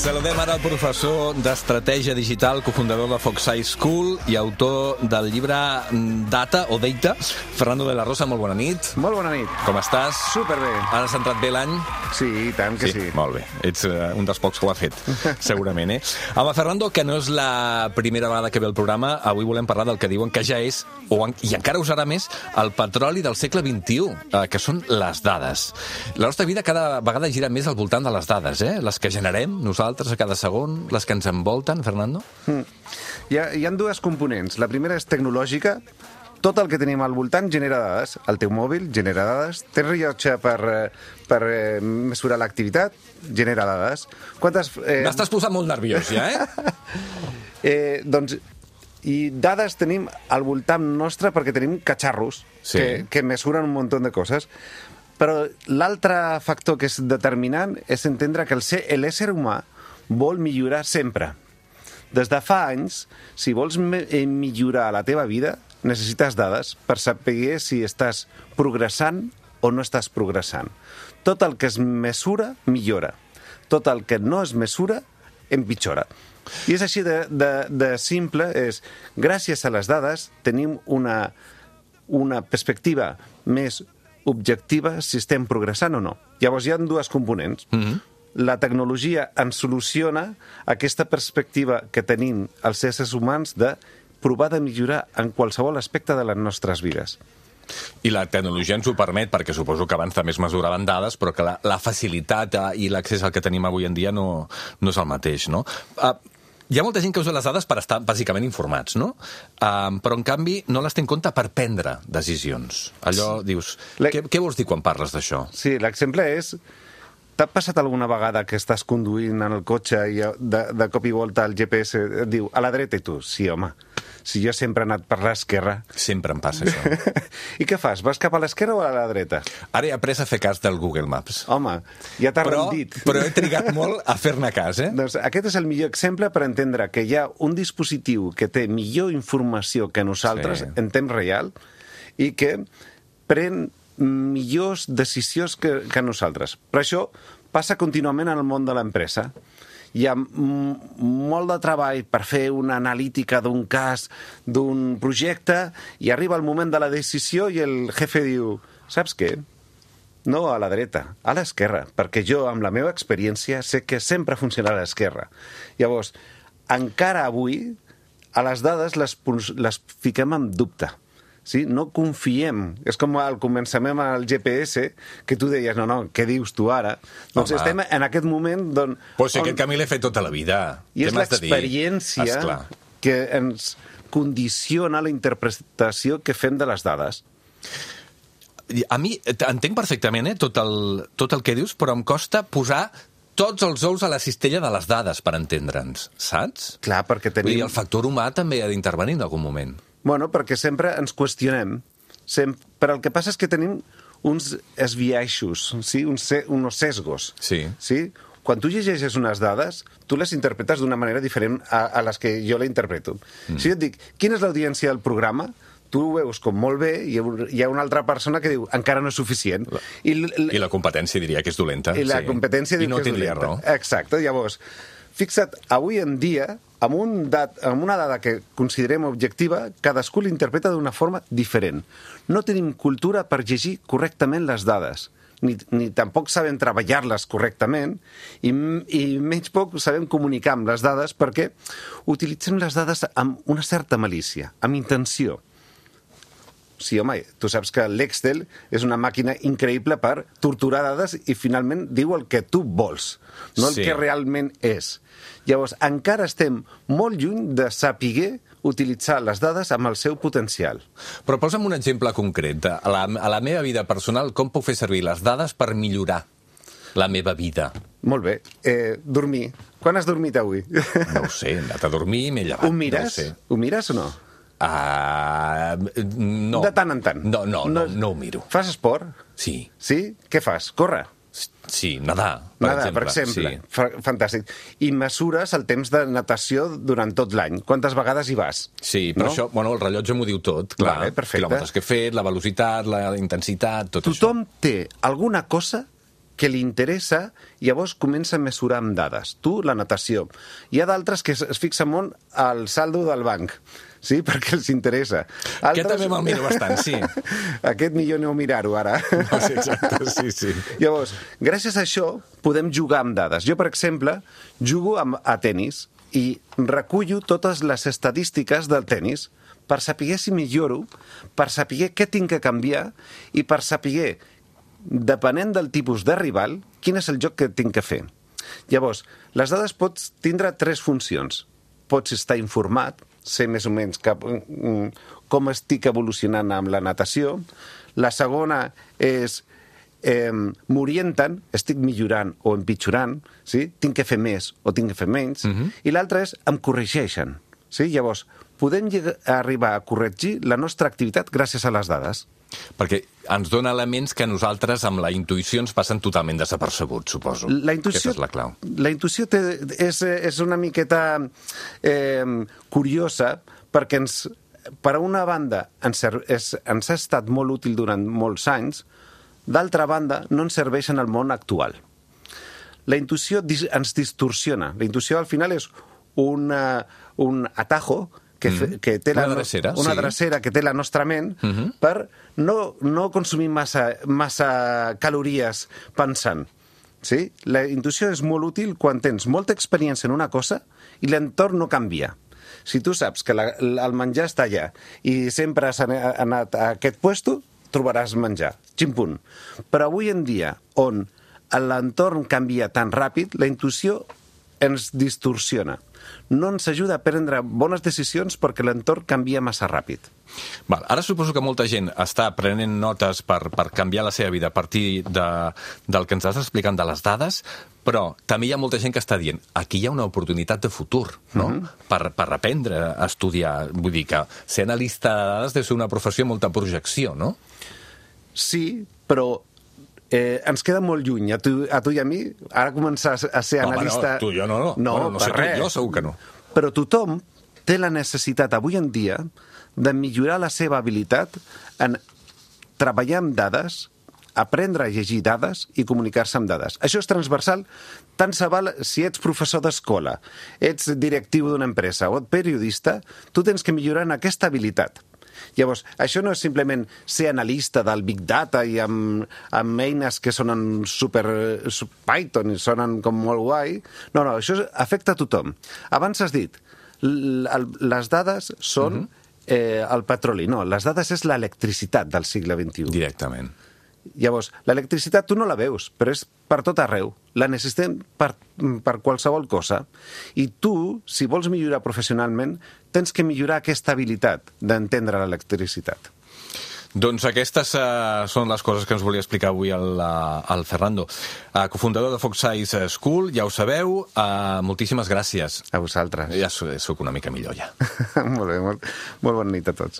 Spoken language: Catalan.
Saludem ara el professor d'Estratègia Digital, cofundador de Foxeye School i autor del llibre Data o Data. Fernando de la Rosa, molt bona nit. Molt bona nit. Com estàs? Superbé. Has entrat bé l'any? Sí, i tant que sí. Molt bé. Ets un dels pocs que ho ha fet, segurament, Home, Fernando, que no és la primera vegada que ve el programa, avui volem parlar del que diuen que ja és, i encara ho serà més, el petroli del segle XXI, que són les dades. La nostra vida cada vegada gira més al voltant de les dades, les que generem nosaltres a cada segon, les que ens envolten, Fernando? Hi ha dues components. La primera és tecnològica. Tot el que tenim al voltant genera dades. El teu mòbil genera dades. Tens rellotge per mesurar l'activitat, genera dades. M'estàs posant molt nerviós, ja, Doncs, i dades tenim al voltant nostre perquè tenim catxarros que mesuren un munt de coses. Però l'altre factor que és determinant és entendre que l'ésser humà vol millorar sempre. Des de fa anys, si vols millorar la teva vida, necessites dades per saber si estàs progressant o no estàs progressant. Tot el que es mesura, millora. Tot el que no es mesura, empitjora. I és així de simple, gràcies a les dades tenim una perspectiva més objectiva si estem progressant o no. Llavors hi ha dues components. La tecnologia ens soluciona aquesta perspectiva que tenim els éssers humans de provar de millorar en qualsevol aspecte de les nostres vides. I la tecnologia ens ho permet, perquè suposo que abans també es mesuraven dades, però que la facilitat i l'accés al que tenim avui en dia no és el mateix, no? Hi ha molta gent que usa les dades per estar bàsicament informats, no? Però, en canvi, no les té en compte per prendre decisions. Allò, dius, què vols dir quan parles d'això? Sí, l'exemple és... T'ha passat alguna vegada que estàs conduint en el cotxe i de cop i volta el GPS et diu a la dreta i tu? Sí, home, si jo sempre he anat per l'esquerra... Sempre em passa això. I què fas? Vas cap a l'esquerra o a la dreta? Ara he après a fer cas del Google Maps. Home, ja t'ha rendit. Però he trigat molt a fer-ne cas, Doncs aquest és el millor exemple per entendre que hi ha un dispositiu que té millor informació que nosaltres en temps real i que pren millors decisions que nosaltres. Però això passa contínuament en el món de l'empresa. Hi ha molt de treball per fer una analítica d'un cas, d'un projecte, i arriba el moment de la decisió i el jefe diu, saps què? No a la dreta, a l'esquerra, perquè jo, amb la meva experiència, sé que sempre funciona a l'esquerra. Llavors, encara avui, a les dades les fiquem en dubte. Sí? No confiem. És com al començament al GPS, que tu deies, no, què dius tu ara? Doncs estem en aquest moment... Però si aquest camí l'he fet tota la vida. I és l'experiència que ens condiciona la interpretació que fem de les dades. A mi, entenc perfectament tot el que dius, però em costa posar tots els ous a la cistella de les dades per entendre'ns, saps? Clar, perquè tenim... Vull dir, el factor humà també ha d'intervenir en algun moment. Bueno, perquè sempre ens qüestionem. Però el que passa és que tenim uns esbiaixos, sí? uns sesgos. Sí. Quan tu llegeixes unes dades, tu les interpretes d'una manera diferent a les que jo la interpreto. Si jo et dic, quina és l'audiència del programa? Tu ho veus com molt bé i hi ha una altra persona que diu encara no és suficient. I la competència diria que és dolenta. I la competència diu que és dolenta. I no tindria raó. Exacte. Llavors, fixa't, avui en dia, amb una dada que considerem objectiva, cadascú l'interpreta d'una forma diferent. No tenim cultura per llegir correctament les dades, ni tampoc sabem treballar-les correctament, i menys poc sabem comunicar amb les dades perquè utilitzem les dades amb una certa malícia, amb intenció. Sí, home, tu saps que l'Excel és una màquina increïble per torturar dades i finalment diu el que tu vols, no el que realment és. Llavors, encara estem molt lluny de saber utilitzar les dades amb el seu potencial. Però posa'm un exemple concret. A la meva vida personal, com puc fer servir les dades per millorar la meva vida? Molt bé. Dormir. Quan has dormit avui? No ho sé, he anat a dormir i m'he llevat. Ho mires? Ho mires o no? No. De tant en tant? No ho miro. Fas esport? Sí. Sí? Què fas? Córrer? Sí, nadar, per exemple. Sí. Fantàstic. I mesures el temps de natació durant tot l'any. Quantes vegades hi vas? Sí, però això, el rellotge m'ho diu tot, clar. Vale, perfecte. Quilòmetres que he fet, la velocitat, la intensitat, tot això. Tothom té alguna cosa que li interessa, llavors comença a mesurar amb dades. Tu, la natació. Hi ha d'altres que es fixen molt al saldo del banc, sí, perquè els interessa. Aquest també me'l miro bastant, sí. Aquest millor no mirar-ho, ara. No, sí, exacte, sí. Llavors, gràcies a això, podem jugar amb dades. Jo, per exemple, jugo a tenis i recullo totes les estadístiques del tenis per saber si milloro, per saber què tinc que canviar i per saber, depenent del tipus de rival, quin és el joc que tinc que fer. Llavors, les dades pots tindre 3 funcions. Pots estar informat, sé més o menys com estic evolucionant amb la natació. La segona és m'orienten, estic millorant o empitjorant, sí? Tinc que fer més o tinc que fer menys. I l'altra és em corregeixen. Sí? Llavors, podem arribar a corregir la nostra activitat gràcies a les dades. Perquè ens dona elements que nosaltres amb la intuïció ens passen totalment desapercebuts, suposo. Aquesta és la clau. La intuïció és una miqueta curiosa perquè per una banda ens ha estat molt útil durant molts anys, d'altra banda no ens serveix en el món actual. La intuïció ens distorsiona. La intuïció al final és un atajo que té una drecera que té la nostra ment per no consumir massa calories pensant. Sí? La intuïció és molt útil quan tens molta experiència en una cosa i l'entorn no canvia. Si tu saps que el menjar està allà i sempre has anat a aquest puesto, trobaràs menjar. Ximpunt. Però avui en dia, on l'entorn canvia tan ràpid, la intuïció ens distorsiona. No ens ajuda a prendre bones decisions perquè l'entorn canvia massa ràpid. Val, ara suposo que molta gent està prenent notes per canviar la seva vida a partir del que ens estàs explicant de les dades, però també hi ha molta gent que està dient aquí hi ha una oportunitat de futur, no? Per aprendre a estudiar. Vull dir que ser analista de dades deu ser una professió amb molta projecció, no? Sí, però ens queda molt lluny, a tu i a mi, ara començar a ser analista... No, tu i jo no. No sé tu, jo segur que no. Però tothom té la necessitat avui en dia de millorar la seva habilitat en treballar amb dades, aprendre a llegir dades i comunicar-se amb dades. Això és transversal, tant se val si ets professor d'escola, ets directiu d'una empresa o ets periodista, tu tens que millorar en aquesta habilitat. Llavors, això no és simplement ser analista del Big Data i amb eines que sonen super Python i sonen com molt guai. No, això afecta a tothom. Abans has dit, les dades són el petroli. No, les dades és l'electricitat del segle XXI. Directament. Llavors, l'electricitat tu no la veus, però és per tot arreu. La necessitem per qualsevol cosa. I tu, si vols millorar professionalment, tens que millorar aquesta habilitat d'entendre l'electricitat. Doncs aquestes són les coses que ens volia explicar avui el Fernando. Cofundador de Fox Science School, ja ho sabeu. Moltíssimes gràcies. A vosaltres. Ja soc una mica millor, ja. Molt bé, molt bona nit a tots.